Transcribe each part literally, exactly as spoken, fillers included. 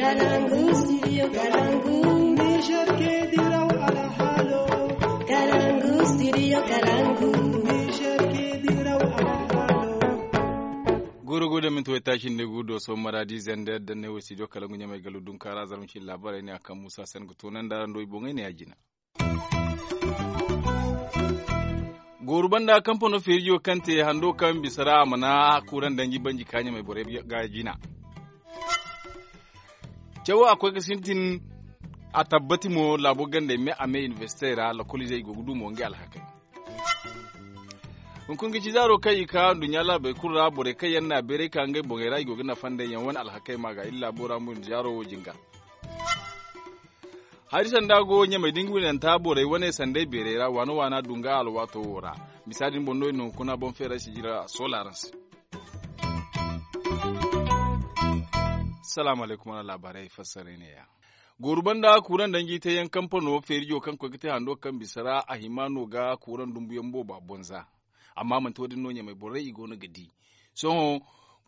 Kalangu, studio Kalangu. Niger ke diraw alhalo. Kalangu, studio Kalangu. Niger ke diraw alhalo. Goro go da minti waytaaci nda gu do so maradi zender da ne wo studio Kalangu ɲamay galu dunkaara zarma ci labaray ne a kaŋ musa sen ga toonandi araŋ do i boŋey ne ya jina. Gooru banda kampano feerijo kaŋ te hando kaŋ bisa ra a mana kuuraŋ danji banji ka ɲamay borey ga jina. Cawo a koy ga sintin. A tabbati mo laabo gandey me a me inibersitey ra lakolizey i go ga du mo ngey alhakey. Hunkuna ga ci zaaro kaŋ i ka nduɲɲa laabey kulu ra borey kaŋ yaŋ na beeray ka ngey boŋey ra i go ga nafa nd'ey yaŋ wane alhakey ma ga iri laabo ra mo zaaro wo jingar. Hari sanda go ɲamay da nga winanta borey wane sanday beeray ra waana waana dunga alwaato wo ra. Misa din boŋ no iri na hunkuna boŋ feeray sijira solarans. Salaamu alaykum wala laabaarey fassaray ne ya. Gooru banda kuuraŋ danji te yaŋ kampano feerijo kaŋ koy ga te hando kaŋ bisa ra a hima no ga kuuraŋ dumbuyaŋ booba bonza. Amma manti wo- din no ɲamay borey i go no ga di. Sohõ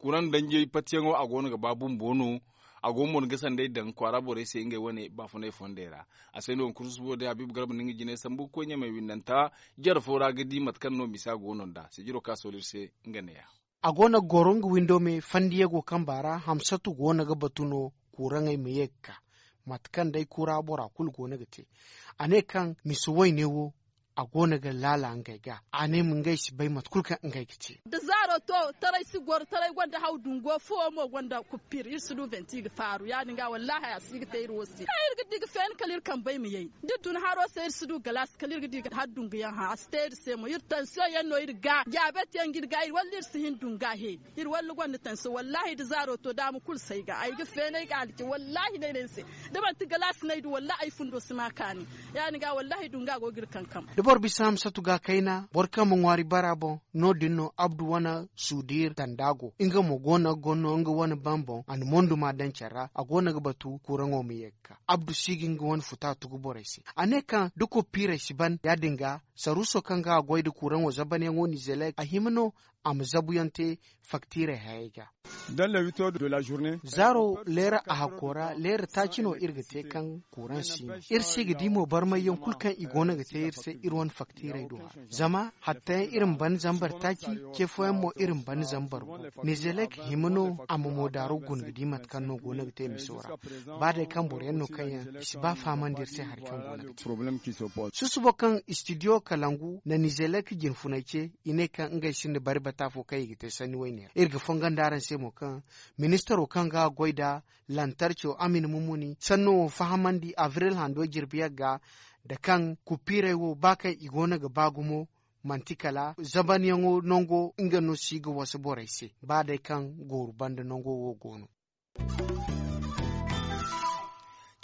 kuuraŋ danjey patiyaŋo a go no ga ba bumbo no. A go mo no ga sanday daŋ kwaara borey se ngey wane baafunay fondey ra. A se no hunkuna susubo day habiibu garba na nga jinay sambu ga koy ɲamay windanta jare fo ra ga di mate kaŋ no misa go no nd'a sijiro kaŋ a soolu iri se. Nga neeya. A go no ga goro nga windo me fandiyago kaŋ baara hamsatu go no ga batu no. Kuuraŋey ma ye ga ka mate kaŋ day kura bora kulu go no ga te. A ne kaŋ misa wayne wo a go no ga laala ngey ga a ne ma ngey si bay mate kulu kaŋ ngey ga te. Da zaaro to taray si goro taray gonda haw dungo fuwo mo gonda kuppir iri si du venti ga faaru ya- din ga wallahi a si ga te iri wo se kaŋ iri ga di ga feeni kala iri kambey ma yay da tun haro se iri si du galaasi kala iri ga di ga har dunguyaŋ hã a si te iri se mo iri tansiyoŋ yaŋ no iri ga jaabeeti yaŋ ga iri ga iri walla iri si hin dunga he. Iri walla gonda tansiyoŋ wallahi da zaaro to daama kulu si ay ga ay ga feenay ga alci wallahi no ay ne ni se. Da manti galaasi no ay du wallahi ay fundo si ma kaani. Ya- din ga wallahi dunga go ga iri kankam. Da boro bisa hamsatu ga kayna boro kaŋ ma ŋwaari bara boŋ no- din no abdu wane suudir tanda go nga mo go no ga gonno nga wane bamboŋ a na mondu ma daŋ care ra a go no ga batu kuuraŋo ma ye ga ka abdu si ga nga wane futa tugu borey se. A ne kaŋ da koppiirey si ban ya- din ga saruuso kaŋ ga a goy nda kuuraŋo zabanyaŋo nizelek a hima no a ma zabuyaŋ te faktiirey hayey ga. Zaaro leera a hakko ra leera taaci no iri ga te kaŋ kuuraŋ si no iri si ga di mo barmayyaŋ kulu kaŋ i go no ga te iri se iri wane faktiirey do a ra zama hattayaŋ iri ma ban zambar taaci ce fooyaŋ mo iri ma ban zambar gu. Nizelek hima no a ma moodaaro guna ga di mate kaŋ no go no ga te miso ra. Ba day kaŋ boro yaŋ no kaŋ yaŋ i si ba fahamandi iri se hari kaŋ go no ga te. Susubo kaŋ istidiyo kalangu na nizelek jinfunay ce i ne kaŋ ngey sinda bari bata fo kaŋ i ga te sanni wayne ra iri ga fongondi araŋ se mo kaŋ ministaro kaŋ ga goy nda lantarco amin mumuni sanno wo fahamandi abril hando jirbi yagga nda kaŋ kuppiirey wo ba kaŋ i go no ga ba gumo manti kala zabanyaŋo nango nga no si ga wasa borey se ba day kaŋ gooru banda nango wo go no.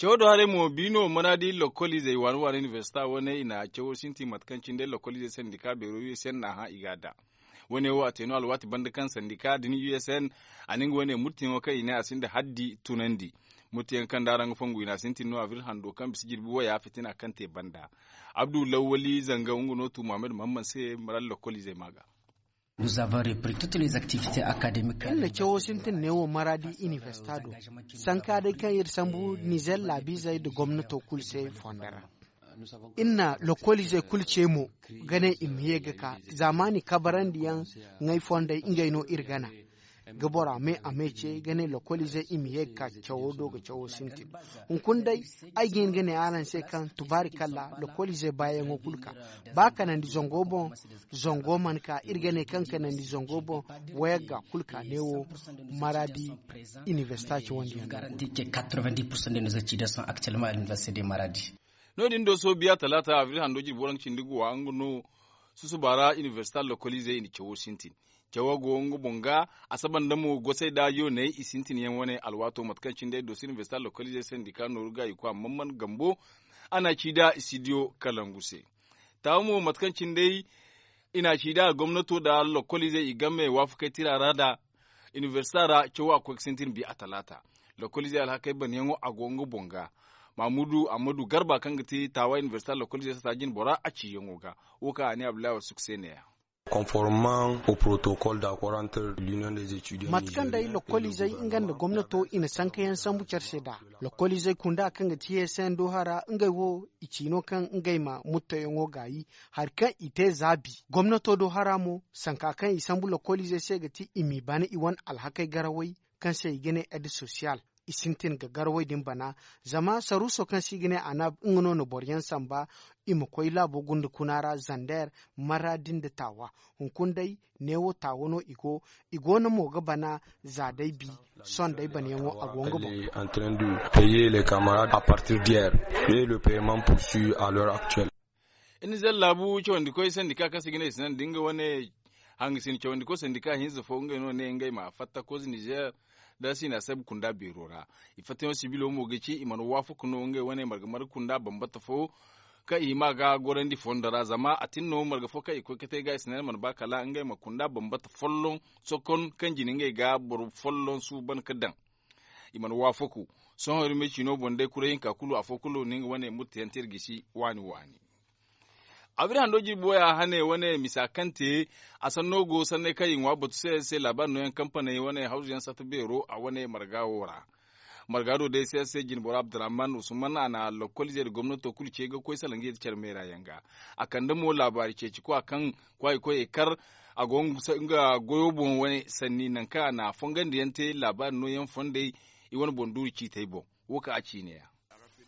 Cawo do haray mo bi no maraadi lokkoliizey waani waani inibersita wane i na cawo sintin mate kaŋ cine day lokkoliizey sandika beero u s n n'a hã i ga a da. Wane wo a te no alwaati banda kaŋ sandika din u s n a na nga wane murtiyaŋo kaŋ i ne a sinda haddi tunandi. Murtiyaŋ kaŋ da araŋ ga fongu i na sintin no abril hando kaŋ bisa jirbi waya fitina kaŋ te banda. Abdu lawwali zanga nga no tu muhammad muhammad se maraadi lokkoliizey ma ga. Iri na cawo sintin neewo maraadi inibersita do sanka day kaŋ iri sambu nizer laabiizey nda gomnato kulu se fondo ra. Iri na lokoliizey kulu ce mo ga ne i ma ye ga ka zaamaani kabarandiyaŋ ŋay fondey ngey no iri gana ga bora me a me ce ga ne lokoliizey i ma ye ga ka cawo do ga cawo sintin. Hunkuna day ay ga hin ga ne araŋ se kaŋ tubaari kalla lokoliizey baayaŋo kulu ka ba kanandi zango boŋ. Zango mana ka iri ga ne kaŋ kanandi zango boŋ wayagga kulu ka neewo maraadi inibersita cawandi yaŋ no. Ga no- din do soobiya talaata abril hando jirbi waranka cindi ga wa nga no susuba ra inibersita lokoliizey i na cawo sintin. Cawo go nga boŋ ga a saba nda mo gosey da yooney i sintin yaŋ wane alwaato mate kaŋ cine day doso inibersita lokoliizey sandika nooru ga i koy amma man gambo a na ci da istidiyo kalangu se. Taawa mo mate kaŋ cine day i na ci da gomnato da lokoliizey i game waafakey tira ra da inibersita ra cawo a koy ga sintin bi a talaata. Lokoliizey alhakey banyaŋo a go nga boŋ ga. Mamudu ammadu garba kaŋ ga ti taawa inibersita lokoliizey sata jine bora a ciyaŋo ga. Wo kaŋ a ne abdullahi warsuk se neeya. Conformement au protocole d'accord entre l'union des étudiants. Mate kaŋ day lokoliizey nga nda gomnato i na sankayaŋ sambu care se nd'a. Lokoliizey kunda kaŋ ga ti yeesayaŋ do hara ngey wo i ci no kaŋ ngey ma muttoyaŋo gaayi. Hari kaŋ i te zaabi gomnato do hara mo sanka kaŋ i sambu lokoliizey se ga ti i m'i bana i wane alhakey garawey kaŋ se i ga ne ed sosiyal. I sintin ga garawey din bana. Zama saruuso kaŋ se i ga ne anab nga no na boro yaŋ samba i ma koy laabo gunda kuna ra zander, marra din nda taawa. Hunkuna day neewo taawa no i go. I go no mo ga bana za day bi. Sohõ day banayaŋo a go nga boŋ. Entrain de payer les camarades à partir d'hier et le paiement poursuit à l'heure actuelle. Nizer laabu cawandi koy sandika kaŋ se i ga ne i si naŋ da nga wane hangasin cawandi koy sandika hinza fo ngey no ne ngey ma fatta koze nizer. Da si na sabu kunda beero ra i fattayaŋo sibilo mo ga ci i mana waafaku no ngey wane marga marga kunda bambata fo kaŋ i hima ga gorandi fondo ra zama a tin no marga fo kaŋ i koy ga te ga i si naŋ mana ba kala ngey ma kunda bambata folloŋ sokon kaŋ jina ngey ga boro folloŋ suuban ga daŋ. I mana waafaku sohõ iri ma ay ciino boŋ day kuray hinka kulu afo kulu no nga wane murtayaŋ te iri gisi waani waani. Abiri hando jirbi waya hane wane misa kaŋ te a sanno go sanney kaŋ i ŋwa batu se se laabaari nooyaŋ kampaney wane hawzu yaŋ satta beero a wane marga wo ra. Marga do day se se jinboro abdurrahman usman a na lokkol ize nda gomnato kulu ce ga koy salaŋ ga ye da care meera yaŋ ga. A kande mo laabaari ceeci kwa kaŋ kwaayi koyey kar a go nga goyo boŋ wane sanni nangu kaŋ a na fongandiyaŋ te laabaari nooyaŋ fondey i wane boŋ duuru ciitey boŋ. Wo kaŋ a ci ne ya.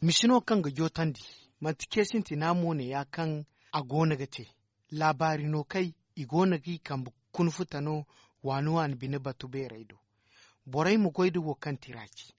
Misi no kaŋ ga jootandi manti ce sintina mo ne ya kaŋ a go no ga te. Laabaari no kay i go no g'i kambe kunfuta no waani waani bine batu beerey do. Borey ma goy nda wo kaŋ tira ci.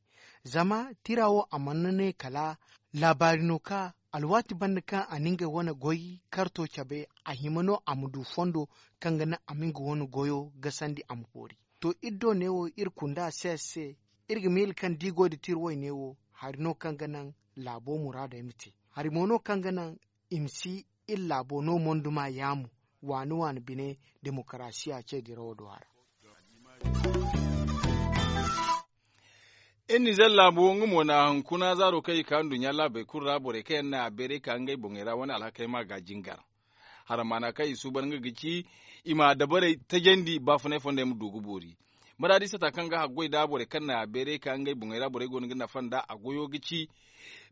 Zama tira wo a mana ne kala laabaari no ka alwaati banda kaŋ a na ngey wane goy karto cabe a hima no a ma du fondo kaŋ ga naŋ a ma nga wane goyo gasandi a ma boori. To iri do neewo iri kunda se se iri ga miila kaŋ da i goy nda tira wayne wo hari no kaŋ ga naŋ laabo muraadey ma te. Hari mo no kaŋ ga naŋ i ma si iri laabo no monduma yaamu waani waani bine demokarasiya ce dirawo do a ra. Iri nizer laabo nga mo na hunkuna zaaro kaŋ i ka nduɲɲa laabey kulu ra borey kaŋ yaŋ na a beeray ka ngey boŋey ra wane alhakey ma ga jingar. Haramaana kaŋ i suuban nga ga ci i ma dabarey tajandi baafunay fondey ma du ga boori. Maraadi sata kaŋ ga haggoy nda borey kaŋ na a beeray ka ngey boŋey ra borey go no ga nafa nd'a a goyo ga ci.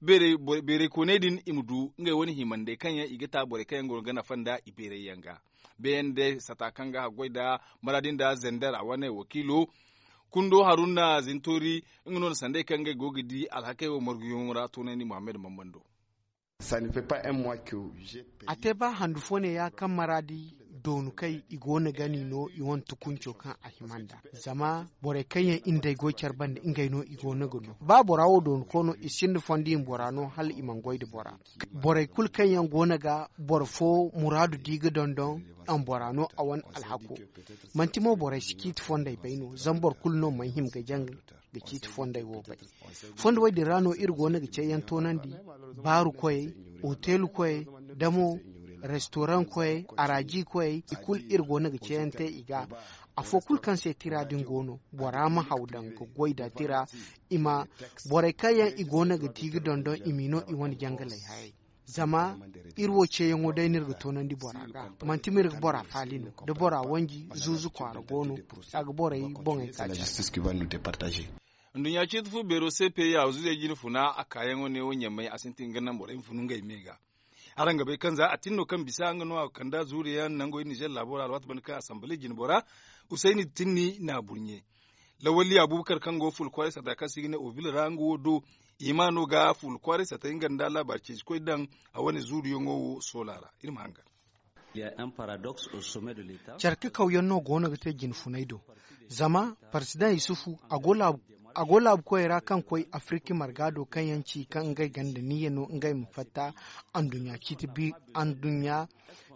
Beeray kooney din i ma du ngey wane himandey kaŋ yaŋ i ga ta borey kaŋ yaŋ go no ga nafa nd'a i beeray yaŋ ga. Beene day sata kaŋ ga haggoy nda maraadi nda zender a wane wakiilo kundo haruna zintoori. Nga no na sanday kaŋ ngey go ga di alhakey wo marguyaŋo ra toonandi muhammad mambando. A te ba handu fo ne ya kaŋ maraadi doonu kay i go no ga ni no i wane tukunco kaŋ a hima nd'a. Zama borey kaŋ yaŋ iri nd'ey goy care banda ngey no i go no ga no ba bora wo doonu koy no i sinda fondo i ma bora no hala i mana goy nda bora. Borey kulu kaŋ yaŋ go no ga boro fo muraadu di ga dondon a ma bora no a wane alhako. Manti mo borey si ciiti fondey bay no zama boro kulu no mana hima ga jaŋ ga ciiti fondey wo bay. Fondo wey din ra no iri go no ga ceeyaŋ toonandi baaru koyey, oteelu koyey, damo restoraŋ koyey, araaji koyey i kulu iri go no ga ceeyaŋ te i ga. Afo kulu kaŋ se tira din go no bora ma haw daŋ ga goy nda tira. I ma borey kaŋ yaŋ i go no ga ti ga dondon i m'i no i wane jangaley hayey. Zama iri wo ceeyaŋo day no iri ga toonandi bora ga manti ma iri ga bora faali no da bora wanji zuuzu kwaara go no. A ga borey boŋey ka caasi. Nduɲɲa ciiti fu beero se peeya zuuzey jine funa a kaayaŋo ne wo ɲamay a sintin ga naŋ borey ma funu ngey me ga. Araŋ ga bay kaŋ za a tin no kaŋ bisa nga no a ga kand'a zuuriyaŋ nango iri nizer laabo ra alwaati banda kaŋ asamble jine bora usayni tinni na burɲe. Lawalli abubakar kaŋ go fuula kwaaray sata kaŋ se i ga ne obil ra nga wo do i ma no ga fuula kwaaray sata nga nda laabaari ceeci koy daŋ a wane zuuriyaŋo wo soola ra. Iri ma hangan. Care kakawyaŋ no go no ga te jine funay do. Zama paresidaŋ yusufu a go laabu koyey ra kaŋ koy afiriki marga do kaŋ yaŋ ci kaŋ ngey ganda niyya no ngey ma fatta anduɲɲa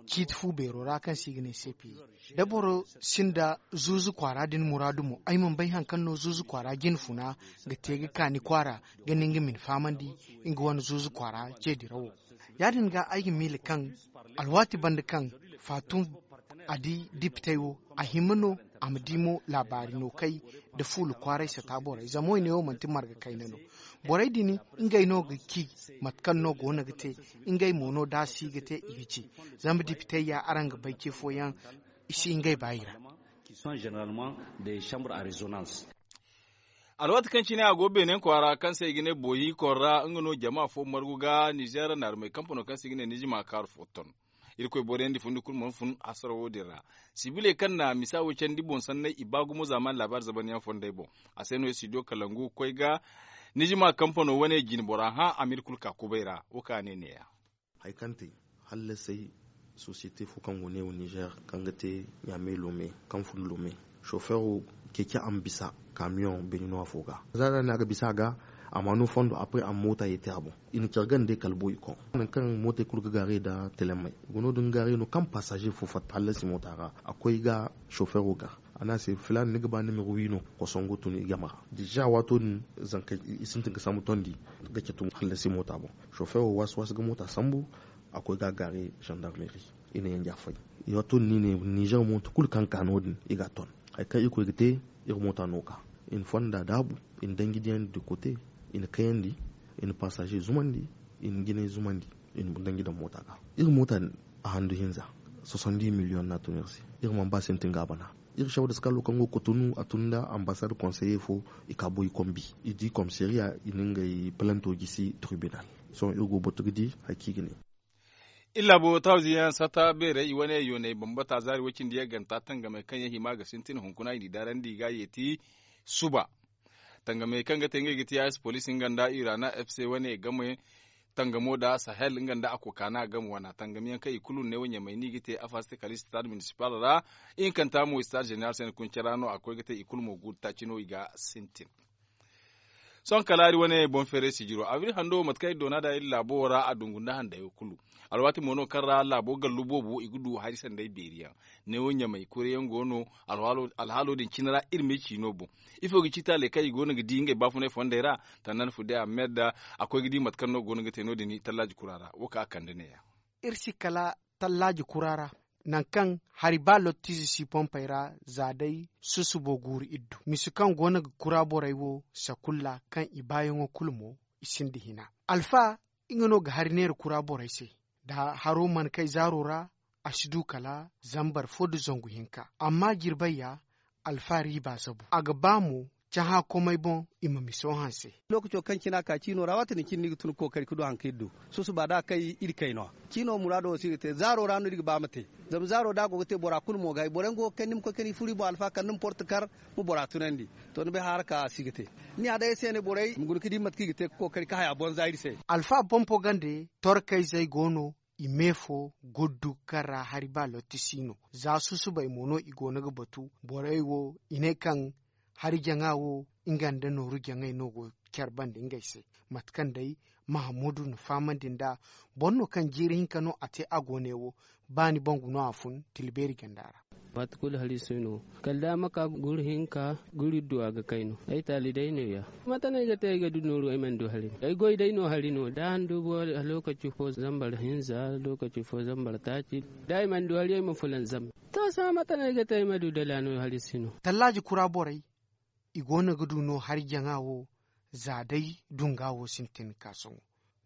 ciiti fu beero ra kaŋ se i ga ne sepi. Da boro sinda zuuzu kwaara din muraadu mo ay mana bay hari kaŋ no zuuzu kwaara jine funa ga te ga kaani kwaara ga ne nga ma ni fahamandi nga wane zuuzu kwaara ce dirawo. Ya- din ga ay ga miila kaŋ alwaati banda kaŋ faatum a di dipitey wo a hima no a ma di mo laabaari no kay nda fuula kwaaray sata borey zama woyne wo manti marga kayna no. Borey din ngey no ga ci mate kaŋ no go no ga te. Ngey mo no da a si ga te i ga ci. Zama dipitey ya araŋ ga bay ce fooyaŋ i si ngey baayi ra. Alwaati kaŋ cine a go beenayaŋ kwaara kaŋ se i ga ne booyi kor ra nga no jama fo margu ga nizeer naarumey kampano kaŋ se i ga ne nijima kaaru fo ton. Irkoy booriyandi fundi kulu mana fun hasaro wo- din ra. Sibiley kaŋ na misa wo candi boŋ sanney i ba gumo zaamaani laabaari zabanyaŋ fondey boŋ. A se no studio kalangu ga koy ga nijima kampano wane jine bora hã a ma iri kulu ka kubay ra wo kaŋ a ne neeya. Hari kaŋ te hallasay sosiyete fo kaŋ go neewo nizeer kaŋ ga te ɲaamey loome kaŋ fun loome, sofeero ceeci a ma bisa kaamiyoŋ beeni no afo ga. Za ra no a ga bisa a ga a ma no fondo après a ma moota yeeti a boŋ. I na care ganda day kala boy i koŋ nangu kaŋ mootey kulu ga gaaray nda telemey. Guna din gaaray no kaŋ paasaze fo fatta hallasi moota ra a koy ga sofeero ga a ne a se filaana ni ga ba nimero wi no? Kosongo tun i game ra deza waato din zankey i sintin ga sambu tondi ga catu hallasi moota boŋ. Sofeero waasi waasi ga moota sambu a koy ga a gaare zandarmeri. I na yanji a fay. Waato din no i ne nizer moota kulu kaŋ ka no- din i ga a ton. Hari kaŋ irkoy ga te iri moota no ka i na fonda daabu i na danji diyandi de kote i na kayandi i na paasaze zumandi i na jinay zumandi i na danji daŋ moota ga. Iri moota din a handu hinza soixante dix million no a tun iri se. Iri mana ba sintin ga a bana. Iri saw da skalo kaŋ go ga kotonu a tun nda ambasad konseye fo i ka boy kombi i di komisariya i na ngey palanto gisi tribinal. Sohõ iri go ga batu ga di hari kaŋ i ga ne. Iri laabo tawziyaŋ sata beerey i wane yooney bambata zaari woy cindi yaŋ ganta tangamey kaŋ yaŋ hima ga sintin hunkuna i n'i daarandi i ga a yeeti suba. Tangamey kaŋ ga te ngey ga ti a s poliisi nga nda irana f c wane game tangamo da sahel nga nda a kokaana game wana tangamiyaŋ kaŋ i kulu ne wo ɲamay no i ga te afas te kala stade municipal ra. Ihinkanta mo stade general se ni kuncara no a koy ga te i kulu mo guuru taaci no i ga sintin. Sohõ kala iri wane boŋ feeray sijiro abril hando mate kaŋ iri doona da iri laabo wo ra a dungu nda handayo kulu. Alwaati mo no kaŋ ra laabo gallu boobo i ga du hari sanday beeri yaŋ. Neewo ɲamay kure yaŋ go no. Alhaalo din cine ra iri ma ay ciino boŋ. Ifo ga ci taaley kaŋ i go no ga di ngey baafunay fondey ra? Tannan fude ahmed a koy ga di mate kaŋ no go no ga te no- din tallaaji kura ra wo kaŋ a kande neeya. Iri si kala tallaaji kura ra nangu kaŋ hari ba lottiize si pompey ra za day susubo guuru iddu misi kaŋ go no ga kura borey wo sakulla kaŋ i baayaŋo kulu mo i sinda hina. Alfa nga no ga hari neera kura borey se. Da haro mana kay zaaro ra a si du kala zambar fo nda zangu hinka amma jirbay ya alfa riiba zabu a ga ba mo cahã komey boŋ i ma miso hanse. Lookaco kaŋ cine a ka ciino ra waati din cine ni ga tun ga kookari ga du hari kaŋ iri du susuba da a kay iri kayno. Ciino muraado wo si ga te zaaro ra no iri ga ba ma te. Zama zaaro da a go ga te bora kulu mo ga hay boro yaŋ go ga kay ni ma koy ka ni furu i boŋ alfa kala ni ma porto kar ma bora tunandi. To ni bay haara ka a si ga te. Ni ya day ay se ne borey ma guna ga di mate kaŋ i ga te ga kookari ga haya boŋ za iri se. Alfa pompo gande torkayzey go no i me fo guddu kaŋ ra hari ba lotti si no. Za susubay mo no i go no ga batu borey wo i ne kaŋ hari jaŋa wo nga nda nooru jaŋay no go care banda ngey se. Mate kaŋ day mahamudu na fahamandi nd'a boro no kaŋ jiiri hinka no a te a go ne wo. Ba ni bangu no a fun tilbeeri ganda ra. Waati kulu hari si no kala da a ma ka guri hinka guri iddu a ga kay no ay taali day no- ya. Mate no ay ga te ay ga du nooru ay mana du hari no ay goy day no hari no da a na du boro lookaci fo zambar hinza lookaci fo zambar taaci. Da ay mana du hari ay ma fulan zambar. To sohõ mate no ay ga te ay ma du dala no hari si no. Tallaaji kura borey i go no ga du no hari jaŋa wo. Za day dunga wo sintin ga ka sohõ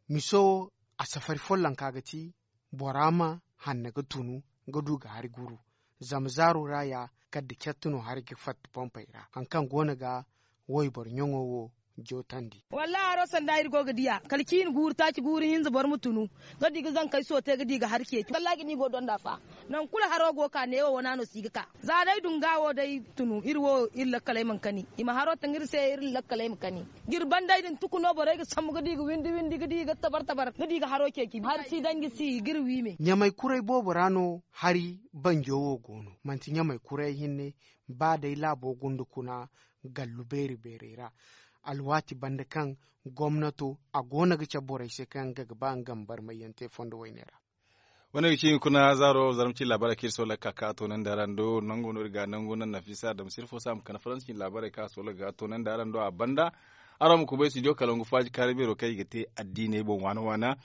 miso wo a safari follonka ga ti bora ma hanna ga tunu ga du ga hari guru. Zama zaaro ra ya kala da catti no hari ga fatta pompey ra hari kaŋ go no ga wayboro ɲaŋo wo jootandi. Wallahi haro sanda iri go ga diya kala ciini guuru taaci guuru hinza boro ma tunu ga di ga zankey soote ga di ga hari ceeci wallahi ga ni go donda fa. Nangu kulu haro go ga ka neewo wana no si ga ka za day dunga wo day tunu iri wo iri lakkaley mana kani i ma haro taŋ iri se iri lakkaley ma kani. Jirban day din tuku no borey ga sambu ga di ga windi windi ga di ga tabar tabar ga di ga haro ceeci hari si danji si ga iri wi me. Ɲamay kuray boobo ra no hari banjo wo go no manti ɲamay kuray hinne. Ba day laabo gunda kuna gallu beeri beerey ra alwaati banda kaŋ gomnato a go no ga cabe borey se kaŋ nga ga ba nga ma barmayyaŋ te fondo wayne ra. Wane ga ci hunkuna zaaro zarma ci laabaarey kaŋ iri soola ga ka ka a toonandi araŋ do nango no iri ga nangu naŋ nafisa damsir fo se a ma kande faransi ci laabaarey kaŋ a soola ga ka toonandi araŋ do a banda. Araŋ ma kubay studio kalangu faaji kaari beero kaŋ i ga te addiiney boŋ waana waana.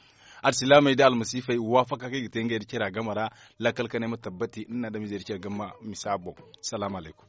Alsilaamey nda almasiifey waafaka kaŋ i ga te ngey nda care a game ra. Lakkal kanay ma tabbati nda ni adamizey nda care game misa boŋ. Salaamu alaykum.